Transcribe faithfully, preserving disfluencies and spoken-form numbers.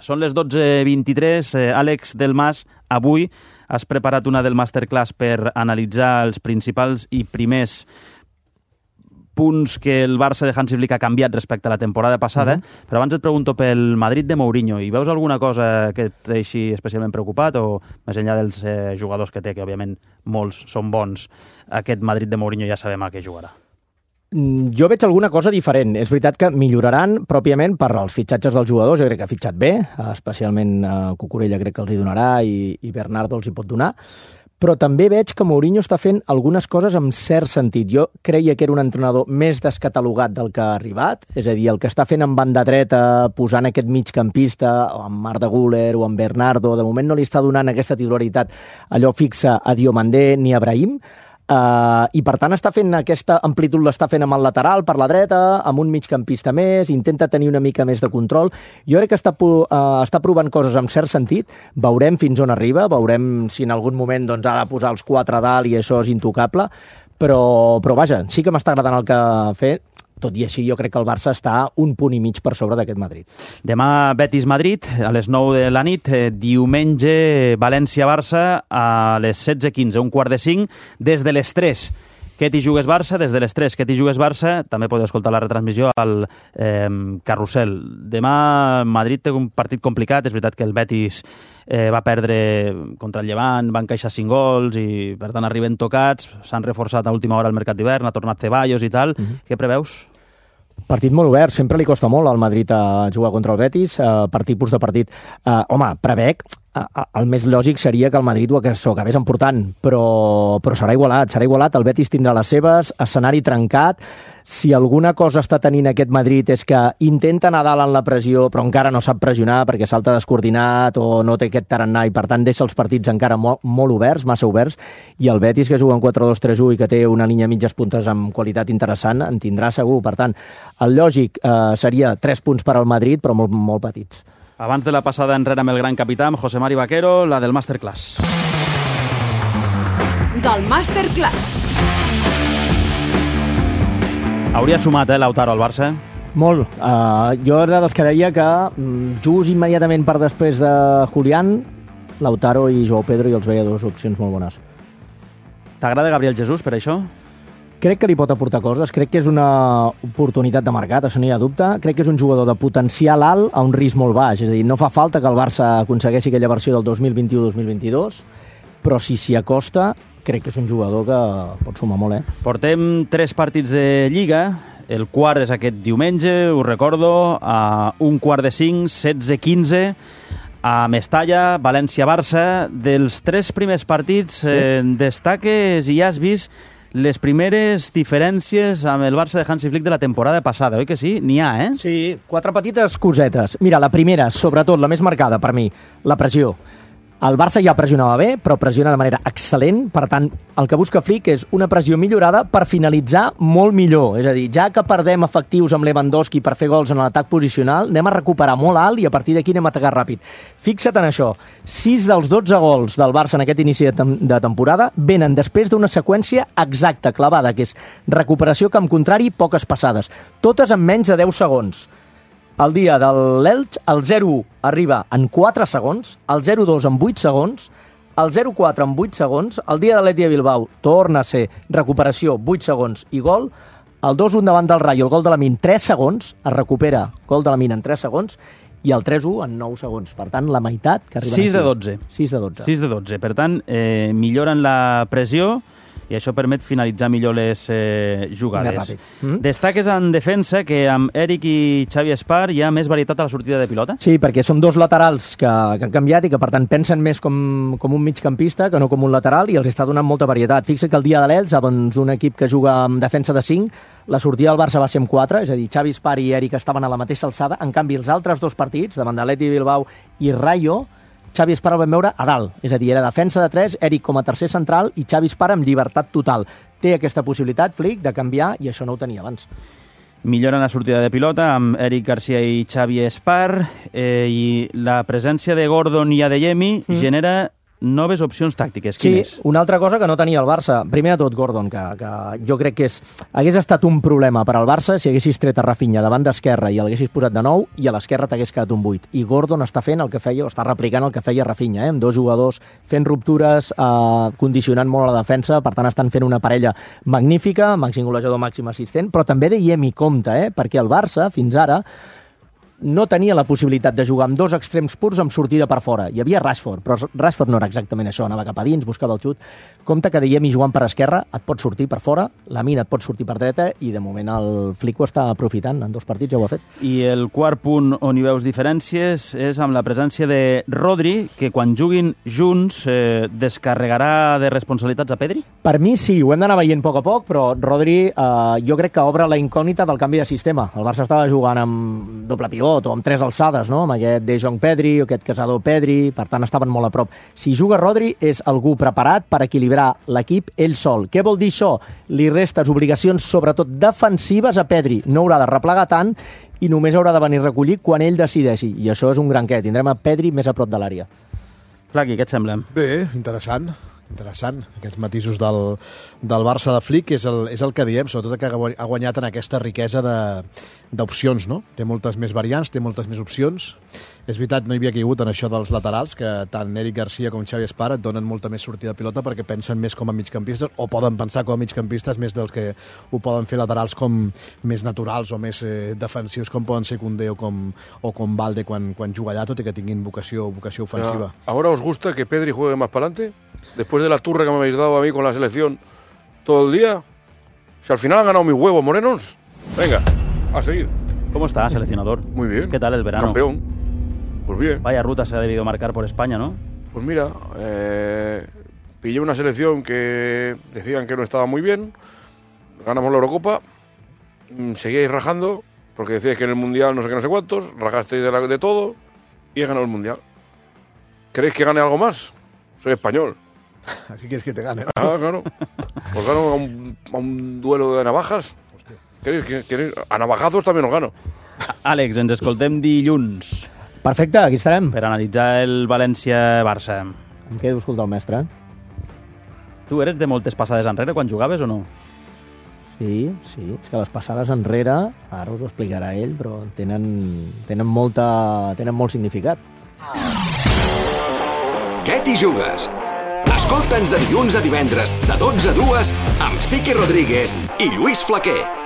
Són les dotze vint-i-tres. Eh, Àlex Delmas, avui has preparat una del masterclass per analitzar els principals i primers punts que el Barça de Hansi Flick ha canviat respecte a la temporada passada, uh-huh. però abans et pregunto pel Madrid de Mourinho. Hi veus alguna cosa que et deixi especialment preocupat o més enllà dels eh, jugadors que té, que òbviament molts són bons, aquest Madrid de Mourinho ja sabem a què jugarà? Jo veig alguna cosa diferent. És veritat que milloraran pròpiament per als fitxatges dels jugadors. Jo crec que ha fitxat bé, especialment eh, Cucurella crec que els hi donarà i, i Bernardo els hi pot donar. Però també veig que Mourinho està fent algunes coses amb cert sentit. Jo creia que era un entrenador més descatalogat del que ha arribat, és a dir, el que està fent en banda dreta, posant aquest migcampista, o amb Arda Güler o amb Bernardo, de moment no li està donant aquesta titularitat allò fixa a Diomandé ni a Brahim, Uh, i per tant està fent aquesta amplitud, l'està fent amb el lateral per la dreta, amb un migcampista més, intenta tenir una mica més de control. Jo crec que està, uh, està provant coses amb cert sentit, veurem fins on arriba, veurem si en algun moment doncs, ha de posar els quatre a dalt i això és intocable, però, però vaja, sí que m'està agradant el que ha fet. Tot i així, jo crec que el Barça està un punt i mig per sobre d'aquest Madrid. Demà Betis-Madrid, a les nou de la nit. Diumenge València-Barça a les setze quinze, un quart de cinc, des de les tres. Què t'hi jugues Barça? Des de les tres. Què t'hi jugues Barça? També podeu escoltar la retransmissió al eh, Carrusel. Demà Madrid té un partit complicat. És veritat que el Betis eh, va perdre contra el Llevant, van encaixar cinc gols i per tant arriben tocats. S'han reforçat a última hora al mercat d'hivern, ha tornat Ceballos i tal. Uh-huh. Què preveus? Partit molt obert, sempre li costa molt al Madrid a jugar contra el Betis, uh, per tipus de partit. Uh, home, prevec, uh, el més lògic seria que el Madrid ho acabés emportant, però, però serà igualat, serà igualat, el Betis tindrà les seves, escenari trencat. Si alguna cosa està tenint aquest Madrid és que intenta anar dalt en la pressió, però encara no sap pressionar perquè salta descoordinat o no té aquest tarannà i per tant deixa els partits encara molt, molt oberts, massa oberts, i el Betis que juga en quatre dos tres u i que té una línia mitges puntes amb qualitat interessant en tindrà segur. Per tant, el lògic eh, seria tres punts per al Madrid, però molt, molt petits. Abans de la passada enrere amb el gran capità, amb José Mari Vaquero, la del Masterclass. Del Masterclass. Hauria sumat, eh, Lautaro al Barça? Molt. Uh, jo era dels que deia que um, just immediatament per després de Julián, Lautaro i Joao Pedro, i els veia dues opcions molt bones. T'agrada Gabriel Jesús per això? Crec que li pot aportar coses, crec que és una oportunitat de mercat, això no hi ha dubte. Crec que és un jugador de potencial alt a un risc molt baix, és a dir, no fa falta que el Barça aconsegueixi aquella versió del dos mil vint-i-u dos mil vint-i-dos, però si s'hi acosta, crec que és un jugador que pot sumar molt, eh? Portem tres partits de Lliga, el quart és aquest diumenge, us recordo, a un quart de cinc, setze quinze, a Mestalla, València-Barça. Dels tres primers partits eh, destaques i has vist les primeres diferències amb el Barça de Hansi Flick de la temporada passada, oi que sí? N'hi ha, eh? Sí, quatre petites cosetes. Mira, la primera, sobretot, la més marcada per mi, la pressió. El Barça ja pressionava bé, però pressiona de manera excel·lent. Per tant, el que busca Flick és una pressió millorada per finalitzar molt millor. És a dir, ja que perdem efectius amb Lewandowski per fer gols en l'atac posicional, anem a recuperar molt alt i a partir d'aquí anem a atacar ràpid. Fixa't en això. sis dels dotze gols del Barça en aquest inici de, tem de temporada venen després d'una seqüència exacta, clavada, que és recuperació camp contrari, poques passades. Totes en menys de deu segons. El dia de l'Elx, el zero u arriba en quatre segons, el zero dos en vuit segons, el zero quatre en vuit segons, el dia de l'Atlètic de Bilbao torna a ser recuperació, vuit segons i gol, el dos un davant del Rayo, el gol de Lamine, tres segons, es recupera gol de Lamine en tres segons, i el tres u en nou segons. Per tant, la meitat que arriben sis de dotze. sis de dotze. sis de dotze. Per tant, eh, milloren la pressió i això permet finalitzar millor les eh, jugades. Més ràpid. Mm? Destaques en defensa que amb Eric i Xavi Espar hi ha més varietat a la sortida de pilota? Sí, perquè són dos laterals que, que han canviat i que per tant pensen més com, com un migcampista que no com un lateral i els està donant molta varietat. Fixa't que el dia de l'Elx, abans d'un equip que juga amb defensa de cinc, la sortida del Barça va ser amb quatre, és a dir, Xavi Espar i Eric estaven a la mateixa alçada. En canvi, els altres dos partits, davant de l'Atlètic de Bilbao i Rayo, Xavi Espar el vam veure a dalt, és a dir, era defensa de tres, Eric com a tercer central i Xavi Espar amb llibertat total. Té aquesta possibilitat, Flick, de canviar i això no ho tenia abans. Milloren la sortida de pilota amb Eric Garcia i Xavi Espar eh, i la presència de Gordon i Adeyemi mm. genera noves opcions tàctiques. Sí, Quines? una altra cosa que no tenia el Barça. Primer de tot, Gordon, que, que jo crec que és, hagués estat un problema per al Barça si haguessis tret a Rafinha davant d'esquerra i l'haguessis posat de nou i a l'esquerra t'hagués quedat un buit. I Gordon està fent el que feia, o està replicant el que feia Rafinha, eh? Amb dos jugadors fent ruptures, eh, condicionant molt a la defensa, per tant estan fent una parella magnífica, màxim golejador, màxim assistent, però també diem i compte, eh? Perquè el Barça, fins ara, no tenia la possibilitat de jugar amb dos extrems purs amb sortida per fora. Hi havia Rashford, però Rashford no era exactament això, anava cap a dins, buscava el xut. Compte que diem i jugant per esquerra et pot sortir per fora, la Mina et pot sortir per dreta i de moment el Flick ho està aprofitant, en dos partits ja ho ha fet. I el quart punt on hi veus diferències és amb la presència de Rodri, que quan juguin junts eh, descarregarà de responsabilitats a Pedri? Per mi sí, ho hem d'anar veient a poc a poc, però Rodri eh, jo crec que obre la incògnita del canvi de sistema. El Barça estava jugant amb doble pivot o amb tres alçades, no? Amb aquest De Jong Pedri o aquest Casado Pedri, per tant estaven molt a prop. Si juga Rodri és algú preparat per equilibrar l'equip ell sol. Què vol dir això? Li restes obligacions, sobretot defensives, a Pedri. No haurà de replegar tant i només haurà de venir a recollir quan ell decideixi. I això és un gran què. Tindrem a Pedri més a prop de l'àrea. Flaqui, què et sembla? Bé, interessant. Interessant. Aquests matisos del, del Barça de Flick és el, és el que diem, sobretot que ha guanyat en aquesta riquesa d'opcions, no? Té moltes més variants, té moltes més opcions. És veritat, no hi havia caigut en això dels laterals, que tant Eric Garcia com Xavi Espar et donen molta més sortida de pilota perquè pensen més com a migcampistes, o poden pensar com a migcampistes més dels que ho poden fer laterals com més naturals o més eh, defensius, com poden ser Koundé o com, o com Valde quan, quan juga allà, tot i que tinguin vocació, vocació ofensiva. Ya. ¿Ahora os gusta que Pedri juegue más para adelante? Después de la turra que me habéis dado a mí con la selección todo el día. Si al final han ganado mis huevos morenos. Venga, a seguir. ¿Cómo está, seleccionador? Muy bien. ¿Qué tal el verano? Campeón. Pues bien. Vaya ruta se ha debido marcar por España, ¿no? Pues mira, eh, pillé una selección que decían que no estaba muy bien. Ganamos la Eurocopa. Seguíais rajando porque decíais que en el Mundial no sé qué, no sé cuántos. Rajasteis de, la, de todo y he ganado el Mundial. ¿Queréis que gane algo más? Soy español. ¿Qué quieres que te gane? Ah, claro. Pues gano a un, a un duelo de navajas. ¿Queréis, queréis? A navajazos también os gano. Àlex, ens escoltem dilluns Perfecte, aquí estarem. per analitzar el València-Barça. Em quedo a escoltar el mestre. Tu eres de moltes passades enrere quan jugaves o no? Sí, sí. És que les passades enrere, ara us ho explicarà ell, però tenen, tenen, molta, tenen molt significat. Què t'hi jugues? Escolta'ns de dilluns a divendres, de dotze a dues, amb Siqui Rodríguez i Lluís Flaquer.